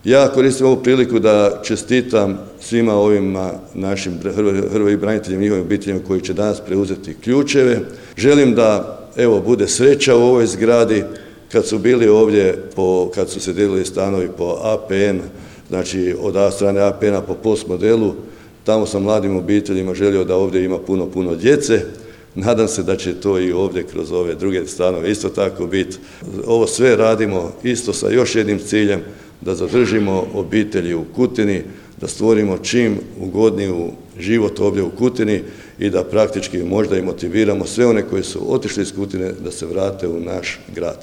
Ja koristim ovu priliku da čestitam svima ovima našim hrvatskim braniteljima i njihovim obiteljima koji će danas preuzeti ključeve. Želim da bude sreća u ovoj zgradi. Kad su bili ovdje, kad su se dijelili stanovi po APN, znači od strane APN-a po POS modelu, tamo sam mladim obiteljima želio da ovdje ima puno djece. Nadam se da će to i ovdje kroz ove druge stanove isto tako biti. Ovo sve radimo isto sa još jednim ciljem, da zadržimo obitelji u Kutini, da stvorimo čim ugodniju život ovdje u Kutini i da praktički možda i motiviramo sve one koji su otišli iz Kutine da se vrate u naš grad.